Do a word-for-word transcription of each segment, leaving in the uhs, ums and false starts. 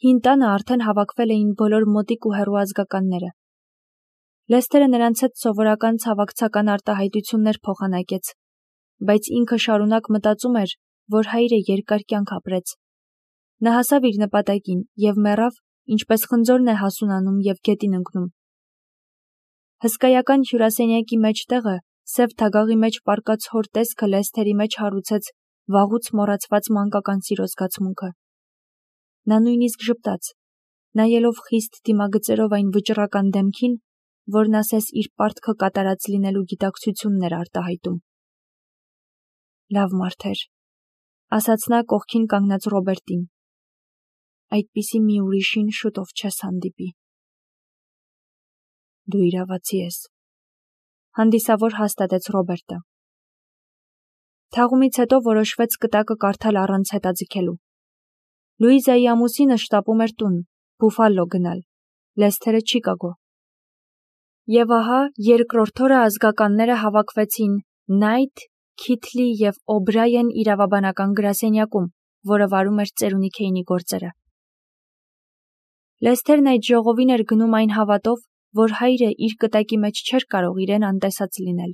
Հին տանը արդեն հավաքվել էին բոլոր մոտիկ ու հեռու ազգականները։ Լեսթերը նրանց հետ սովորական ցավակցական արտահայտություններ փոխանակեց, բայց ինքը շարունակ մտածում էր, որ հայրը երկար կյանք ապրեց։ Նա հասավ իր նպատակին և մեռավ, ինչպես խնձորն է հասունանում և գետին ընկնում։ Հսկայական հյուրասենյակի մեջտեղը սև թագաղի մեջ պառկած հոր տեսքը Լեսթերի մեջ հարուցեց վաղուց մոռացված մանկական սիրո զգացմունքը։ Նա նույնիսկ ժպտաց, նայելով խիստ դիմագծերով այն վճռական դեմքին, որն ասես իր պարտքը կատարած լինելու գիտակցությունն էր արտահայտում։ Լավ մարդ էր, ասաց նա կողքին կանգնած Ռոբերտին։ Այդպիսի մի ուրիշին շուտով չես հանդիպի։ Դու իրավացի ես, հանդիսավոր հաստատեց Ռոբերտը։ Թաղումից հետո որոշվեց կտակը կարդալ առանց հետաձգելու։ Լուիզայի ամուսինը շտապում էր տուն, Բուֆալո գնալ, Լեսթերը Չիկագո։ Եվ ահա երկրորդ օրը ազգականները հավաքվեցին Նայթ, Քիթլի և Օբրայեն իրավաբանական գրասենյակում, որը վարում էր ծերունի Քեյնի գործերը։ Լեսթերն այդ ժողովին էր գնում այն հավատով, որ հայրը իր կտակի մեջ չէր կարող իրեն անտեսած լինել։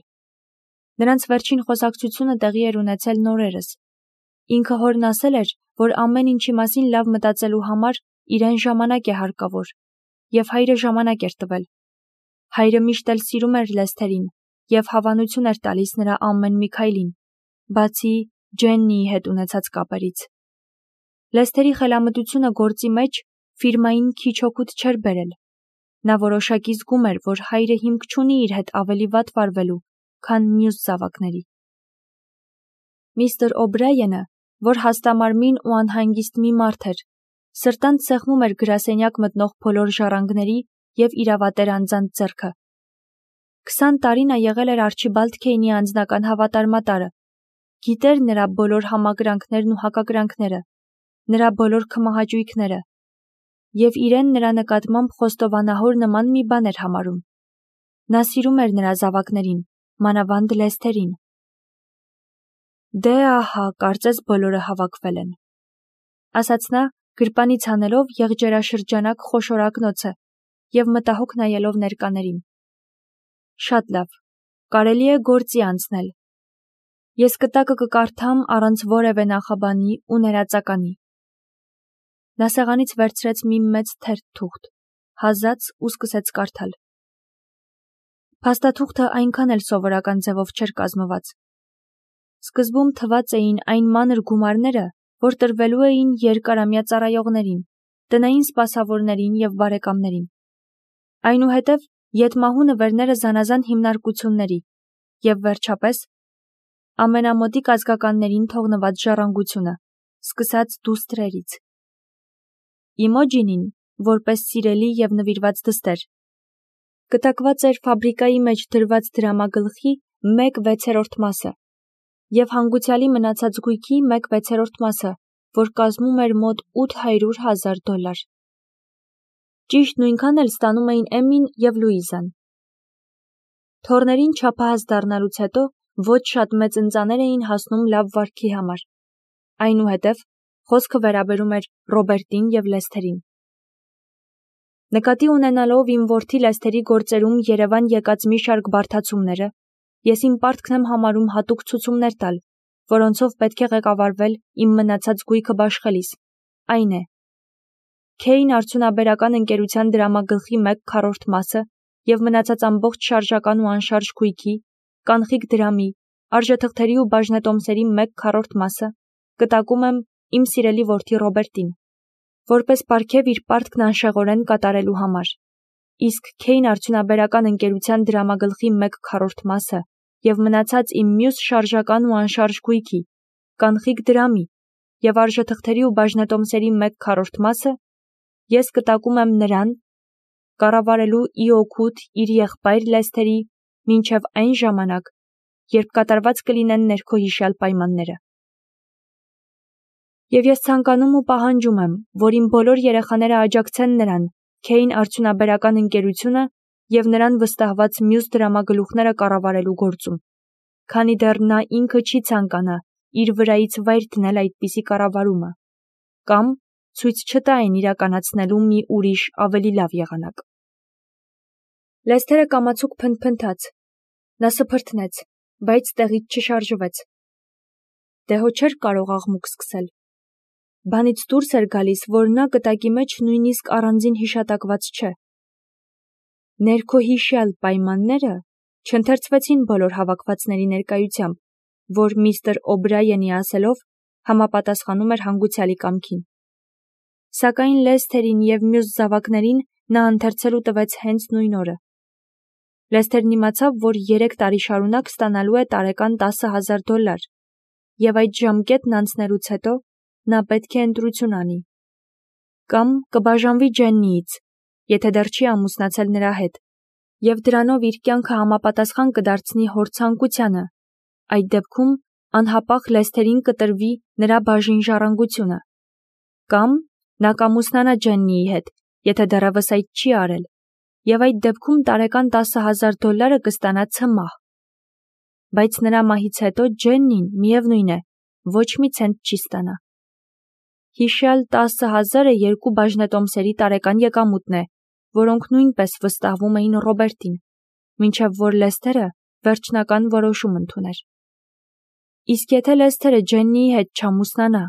Նրանց վերջին խոսակցությունը տեղի էր ունեցել նորերս։ Ինքը հորն ասել էր, որ ամեն ինչի մասին լավ մտածելու համար իրեն ժամանակ է հարկավոր, և հայրը ժամանակ էր տվել։ Հայրը միշտ էլ սիրում էր Լեսթերին և հավանություն էր տալիս նրա ամեն մի քայլին, բացի Ջեննիի հետ ունեցած կապերից։ Լեսթերի խելամտությունը գործի մեջ ֆիրմային քիչ օգուտ չէր բերել։ Նա որոշակի զգում էր, որ հայրը հիմք չունի իր հետ ավելի վատ վարվելու, քան մյուս զավակների։ Միստր Օբրայենը, որ հաստամարմին ու անհանգիստ մի մարդ էր, սրտանց սեղմում էր գրասենյակ մտնող բոլոր ժառանգների և իրավատեր անձանց ձեռքը։ Քսան տարի նա եղել էր Արչիբալդ Քեյնի անձնական հավատարմատարը, գիտեր նրա բոլոր համակրանքներն ու հակակրանքները, նրա բոլոր քմահաճույքները, և իրեն նրա նկատմամբ խոստովանահոր նման մի բան էր համարում։ Նա սիրում էր նրա զավակներին, մանավանդ Լեսթերին։ Դե ահա, կարծես բոլորը հավաքվել են, ասաց նա, գրպանից հանելով եղջերաշրջանակ խոշոր ակնոցը և մտահոգ նայելով ներկաներին։ Շատ լավ, կարելի է գործի անցնել։ Ես կտակը կկարդամ առանց որևէ նախաբանի ու ներածականի։ Նա սեղանից վերցրեց մի մեծ թերթ թուղթ, հազաց ու սկսեց կարդալ։ Փաստաթուղթը այնքան էլ սովորական ձևով չէր կազմված։ Սկզբում թված էին այն մանր գումարները, որ տրվելու էին երկարամյա ծառայողներին, տնային սպասավորներին և բարեկամներին։ Այնուհետև ետմահու նվերները զանազան հիմնարկությունների և վերջապես ամենամոտիկ ազգականներին թողնված ժառանգությունը, սկսած դուստրերից։ Իմոջինին, որպես սիրելի և նվիրված դստեր, կտակված էր ֆաբրիկայի մեջ դրված դրամագլխի մեկ վեցերորդ մասը և հանգուցյալի մնացած գույքի մեկ վեցերորդ մասը, որ կազմում էր մոտ ութ հարյուր հազար դոլար։ Ճիշտ նույնքան էլ ստանում էին Էմմին և Լուիզան։ Թոռներին չափահաս դառնալուց հետո ոչ շատ մեծ ընծաներ էին հասնում լավ վարքի համար։ Այնուհետև խոսքը վերաբերում էր Ռոբերտին և Լեսթերին։ Նկատի ունենալով իմ որդի Լեսթերի գործերում Երևան եկած մի շարք բարդացումները, ես իմ պարտքն եմ համարում հատուկ ցուցումներ տալ, որոնցով պետք է ղեկավարվել իմ մնացած գույքը բաշխելիս, այն է. Քեյն արդյունաբերական ընկերության դրամագլխի մեկ քառորդ մասը և մնացած ամբողջ շարժական ու անշարժ գույքի, կանխիկ դրամի, արժեթղթերի ու բաժնետոմսերի մեկ քառորդ մասը կտակում եմ իմ սիրելի որդի Ռոբերտին, որպես պարգև իր պարտքն անշեղորեն կատարելու համար, իսկ Քեյն արդյունաբերական ընկերության դրամագլխի մեկ քառորդ մասը և մնացած իմ մյուս շարժական ու անշարժ գույքի, կանխիկ դրամի և արժեթղթերի ու բաժնետոմսերի մեկ քառորդ մասը ես կտակում եմ նրան, կառավարելու ի օգուտ իր եղբայր Լեսթերի մինչև այն ժամանակ, երբ կատարված կլինեն ներքո հիշյալ պայմանները։ Եվ ես ցանկանում ու պահանջում եմ, որ իմ բոլոր երեխաները աջակցեն նրան, Քեյն արդյունաբերական ընկերությունը և նրան վստահված մյուս դրամագլուխները կառավարելու գործում, քանի դեռ նա ինքը չի ցանկանա իր վրայից վայր դնել այդպիսի կառավարումը, կամ ցույց չտային իրականացնելու մի ուրիշ ավելի լավ եղանակ։ Լեսթերը կամացուկ փնթփնթաց, նա սփրթնեց, բայց տեղից չշարժվեց։ Դե հո չէր կարող աղմուկ սկսել։ Բանից դուրս էր գալիս, որ նա կտակի մեջ նույնիսկ առանձին հիշատակված չէ։ Ներքոհիշյալ պայմանները չընթերցվեցին բոլոր հավաքվածների ներկայությամբ, որ միստր Օբրայենի ասելով համապատասխանում էր հանգուցյալի կամքին։ Սակայն Լեսթերին և մյուս զավակներին նա ընթերցելու տվեց հենց նույն օրը։ Լեսթերն իմացավ, որ երեք տարի շարունակ ստանալու է տարեկան տասը հազար դոլար, և այդ ժամկետն անցնելուց հետո նա պետք է ընտրություն անի։ Կամ կբաժանվի Ջեննիից, եթե դեռ չի ամուսնացել նրա հետ, և դրանով իր կյանքը համապատասխան կդարձնի հոր ցանկությանը, այդ դեպքում անհապաղ Լեսթերին կտրվի նրա բաժին ժառանգությունը։ Կամ նա կամուսնանա Ջեննիի հետ, եթե դեռևս այդ չի արել, և այդ դեպքում տարեկան տասը հազար դոլարը կստանա ցմահ։ Բայց նրա մահից հետո Ջեննին, միևնույն է, ոչ մի ցենտ չի ստանա։ Հիշյալ տասը հազարը երկու բաժնետոմսերի տարեկան եկամուտն է, որոնք նույնպես վստահվում էին Ռոբերտին, մինչև որ Լեսթերը վերջնական որոշում ընդուներ։ Իսկ եթե Լեսթերը Ջեննիի հետ չամուսնանա,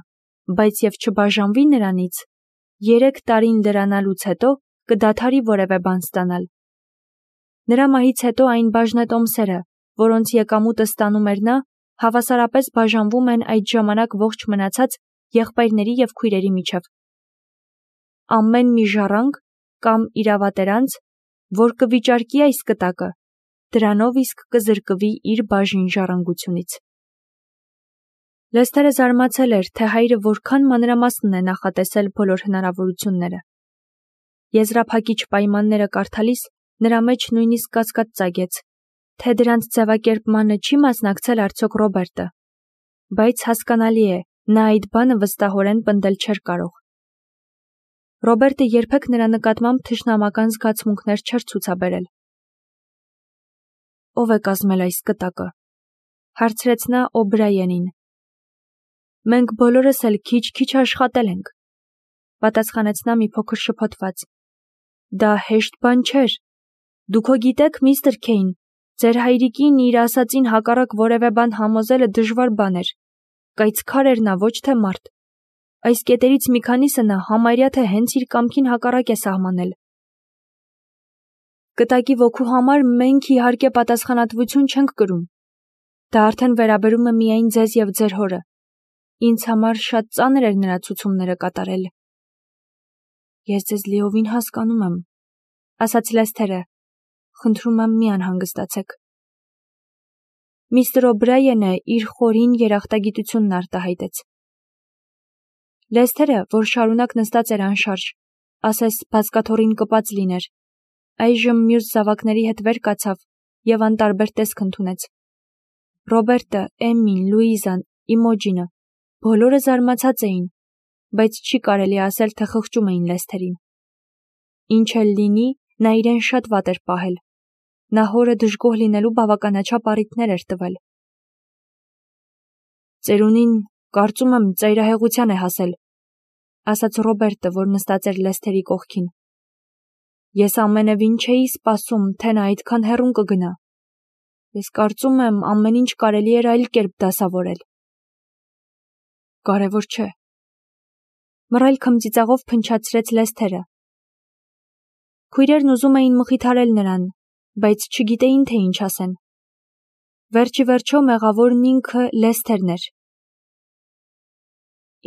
բայց և չբաժանվի նրանից, երեք տարին լրանալուց հետո կդադարի որևէ բան ստանալ։ Նրա մահից հետո այն բաժնետոմսերը, որոնց եկամուտը ստանում էր նա, հավասարապես բաժանվում են այդ ժամանակ ողջ մնացած եղբայրների և քույրերի միջև։ Ամեն մի ժառանգ կամ իրավատերանց, որ կվիճարկի այս կտակը, դրանով իսկ կզրկվի իր բաժին ժառանգությունից։ Լեսթերը զարմացել էր, թե հայրը որքան մանրամասն է նախատեսել բոլոր հնարավորությունները։ Եզրափակիչ պայմանները կարդալիս նրա մեջ նույնիսկ կասկած ծագեց, թե դրանց ձևակերպմանը չի մասնակցել արդյոք Ռոբերտը, բայց հասկանալի է, նա այդ բանը վստահորեն պնդել չէր կարող։ Ռոբերտը երբեք նրա նկատմամբ թշնամական զգացմունքներ չէր ցուցաբերել։ Ո՞վ է կազմել այս կտակը, հարցրեց նա Օբրայենին։ Մենք բոլորս էլ քիչ-քիչ աշխատել ենք, պատասխանեց նա մի փոքր շփոթված։ Դա հեշտ բան չէր։ Դուք հո գիտեք, միստր Քեյն, ձեր հայրիկին իր ասածին հակառակ որևէ բան համոզելը դժվար բան էր, կայծքար էր նա, ոչ թե մարդ։ Այս կետերից մի քանիսը նա համարյա թե հենց իր կամքին հակառակ է սահմանել։ Կտակի ոգու համար մենք իհարկե պատասխանատվություն չենք կրում։ Դա արդեն վերաբերում է միայն ձեզ և ձեր հորը։ Ինձ համար շատ ծանր էր նրա ցուցումները կատարել։ Ես ձեզ լիովին հասկանում եմ, ասաց Լեսթերը, խնդրում եմ մի անհանգստացեք։ Միստր Օբրայենը իր խորին երախտագիտությունն արտահայտեց։ Լեսթերը, որ շարունակ նստած էր անշարժ, ասես բազկաթոռին կպած լիներ, այժմ մյուս զավակների հետ վեր կացավ և անտարբեր տեսք ընդունեց։ Ռոբերտը, Էմին, Լուիզան, Իմոջինը, բոլորը զարմացած էին, բայց չի կարելի ասել, թե խղճում էին Լեսթերին։ Ինչ էլ լինի, նա իրեն շատ վատ էր պահել։ Նա հորը դժգոհ լինելու բավականաչափ առիթներ էր տվել։ Ծերունին, կարծում եմ, ծայրահեղության է հասել, ասաց Ռոբերտը, որ նստած էր Լեսթերի կողքին։ Ես ամենևին չէի սպասում, թե նա այդքան հեռուն կգնա։ Ես կարծում եմ, ամեն ինչ կարելի էր այլ կերպ դասավորել։ Կարևոր չէ։ Մռայլ քմծիծաղով փնչացրեց Լեսթերը։ Քույրերն ուզում էին մխիթարել նրան, բայց չգիտեին, թե ինչ ասեն։ Վերջի վերջո մեղավորն ինքը Լեսթերն էր։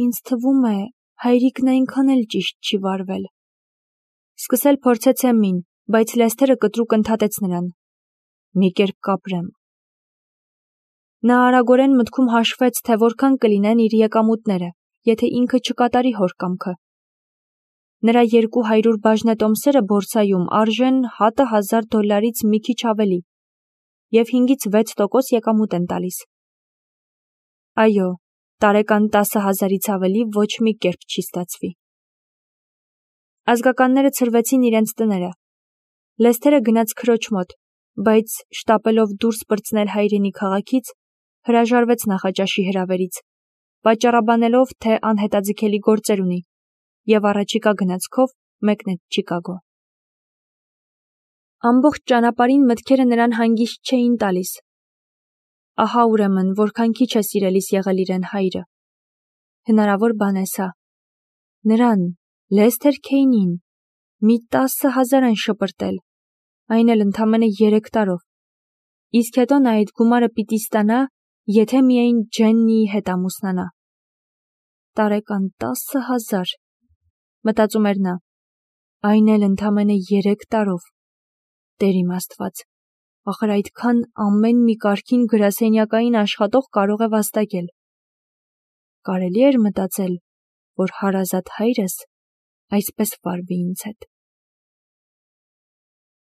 Ինձ թվում է, հայրիկն այնքան էլ ճիշտ չի վարվել։ Սկսել փորձեց Էմին, բայց Լեսթերը կտրուկ ընդհատեց նրան։ Մի կերպ կապրեմ։ Նա արագորեն մտքում հաշվեց, թե որքան կլինեն իր եկամուտները, եթե ինքը չկատարի հոր կամքը։ Նրա երկու հարյուր բաժնետոմսերը բորսայում արժեն հատը հազար դոլարից մի քիչ ավելի և հինգից վեց տոկոս եկամուտ են տալիս։ Այո, տարեկան տասը հազարից ավելի ոչ մի կերպ չի ստացվի։ Ազգականները ցրվեցին իրենց տները։ Լեսթերը գնաց քրոջ մոտ, բայց շտապելով դուրս պրծնել հայրենի քաղաքից, հրաժարվեց նախաճաշի հրավերից, պատճառաբանելով, թե անհետաձգելի գործեր ունի, և առաջիկա գնացքով մեկնեց Չիկագո։ Ամբողջ ճանապարհին մտքերը նրան հանգիստ չէին տալիս։ Ահա ուրեմն որքան քիչ է սիրելիս եղել իրեն հայրը։ Հնարավոր բան է սա։ Նրան, Լեսթեր Քեյնին, մի տասը հազար են շպրտել, այն էլ ընդամենը երեք տարով։ Իսկ հետո նա այդ գումարը պիտի ստանա, եթե միայն Ջեննիի հետ ամուսնանա։ Տարեկան տասը հազար, մտածում էր նա, այն էլ ընդամենը երեք տարով։ Տեր իմ Աստված, ախր այդքան ամեն մի կարգին գրասենյակային աշխատող կարող է վաստակել։ Կարելի էր մտածել, որ հարազատ հայրս այսպես վարվի ինձ հետ։